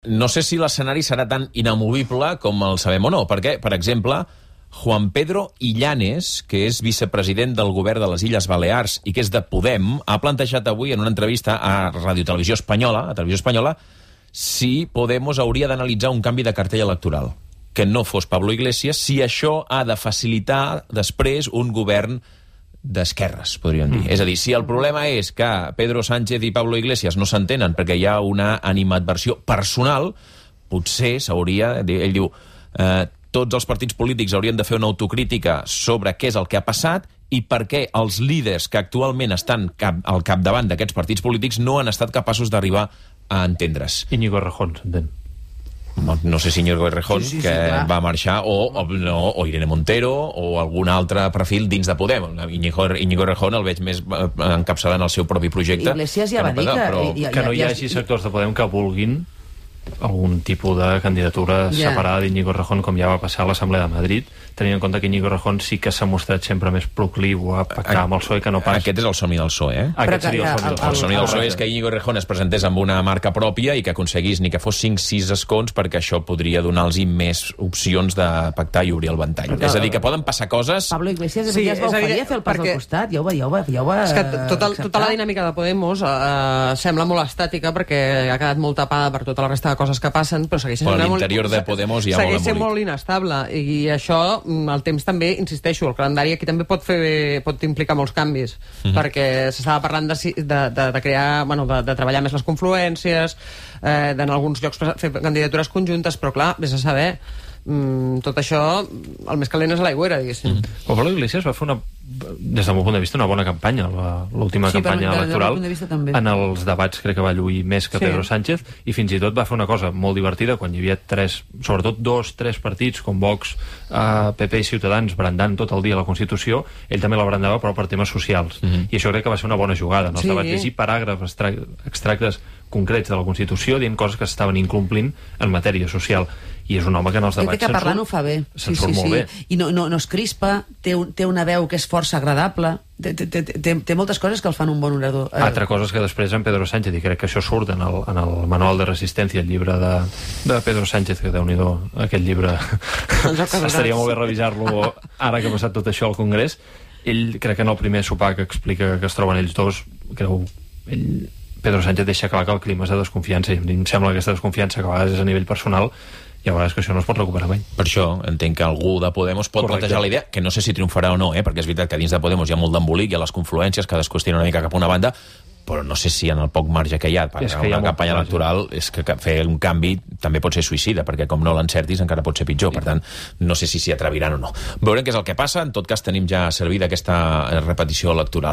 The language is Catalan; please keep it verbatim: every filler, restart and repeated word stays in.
No sé si l'escenari serà tan inamovible com el sabem o no, perquè, per exemple, Juan Pedro Illanes, que és vicepresident del govern de les Illes Balears i que és de Podem, ha plantejat avui en una entrevista a Radio Televisió Espanyola, a Televisió Espanyola, si Podemos hauria d'analitzar un canvi de cartell electoral, que no fos Pablo Iglesias, si això ha de facilitar després un govern d'esquerres, podríem dir. Mm. És a dir, si el problema és que Pedro Sánchez i Pablo Iglesias no s'entenen perquè hi ha una animadversió personal, potser s'hauria... Ell diu, eh, tots els partits polítics haurien de fer una autocrítica sobre què és el que ha passat i per què els líders que actualment estan cap, al capdavant d'aquests partits polítics no han estat capaços d'arribar a entendre's. Íñigo Errejón, s'entén. No, no sé si Íñigo Errejón, sí, sí, que sí, va marxar, o, o, no, o Irene Montero, o algun altre perfil dins de Podem. Íñigo, Íñigo Errejón el veig més encapçalant el seu propi projecte. Iglesias ja va dir que... Però que no hi hagi sectors de Podem que vulguin algun tipus de candidatura yeah. separada d'Íñigo Errejón, com ja va passar a l'Assemblea de Madrid, tenint en compte que Íñigo Errejón sí que s'ha mostrat sempre més procliu a pactar amb el P S O E que no pas... Aquest és el somni del P S O E, eh? Aquest seria el somni del P S O E. El somni del P S O E és que Íñigo Errejón es presentés amb una marca pròpia i que aconseguís ni que fos cinc sis escons, perquè això podria donar-los més opcions de pactar i obrir el ventall. Però, és a dir, que poden passar coses... Pablo Iglesias sí, ja es va oferir a fer el pas perquè... al costat, ja ho va, ja ho va, ja ho va és que tota, tota la dinàmica de Podemos eh, sembla molt estàtica perquè ha quedat molt tapada per tota la resta de coses que passen, però segueix sent, l'interior molt, de Podemos ja segueix sent molt inestable, i això, el temps també, insisteixo, el calendari aquí també pot fer pot implicar molts canvis, mm-hmm. perquè s'estava parlant de, de, de, de crear, bueno, de, de treballar més les confluències, eh, d'en alguns llocs fer candidatures conjuntes, però clar, vés a saber, mm, tot això, el més calent és a l'aigüera, diguéssim. Mm. O Pablo Iglesias va fer una, des del meu punt de vista, una bona campanya, l'última sí, campanya per, electoral. De en els debats crec que va lluir més que sí. Pedro Sánchez, i fins i tot va fer una cosa molt divertida quan hi havia tres, sobretot dos, tres partits com Vox, eh, P P i Ciutadans brandant tot el dia la Constitució, ell també la brandava però per temes socials, mm-hmm. i això crec que va ser una bona jugada en els sí. debats, llegir paràgrafs, extractes concrets de la Constitució dient coses que s'estaven incomplint en matèria social, i és un home que en els debats que parlant ho fa bé, se'n sí, surt sí, molt sí. bé. I no, no, no es crispa, té, un, té una veu que és força agradable, té, té, té, té, té moltes coses que el fan un bon orador. Eh. Altra cosa és que després en Pedro Sánchez, i crec que això surt en el, en el Manual de Resistència, el llibre de, de Pedro Sánchez, que déu-n'hi-do, aquest llibre estaria molt bé revisar-lo ara que ha passat tot això al Congrés. Ell, crec que en el primer sopar que explica que es troben ells dos, creu ell, Pedro Sánchez deixa clar que el clima és de desconfiança, i em sembla que aquesta desconfiança que a vegades és a nivell personal, i a vegades que això no es pot recuperar mai. Per això entenc que algú de Podemos pot Correcte. plantejar la idea, que no sé si triomfarà o no, eh? perquè és veritat que dins de Podemos hi ha molt d'embolic, hi ha les confluències, cadascú es tira una mica cap a una banda, però no sé si en el poc marge que hi ha per a una campanya electoral és que fer un canvi també pot ser suïcida, perquè com no l'encertis encara pot ser pitjor, per tant no sé si s'hi atreviran o no. Veurem què és el que passa, en tot cas tenim ja servida aquesta repetició electoral.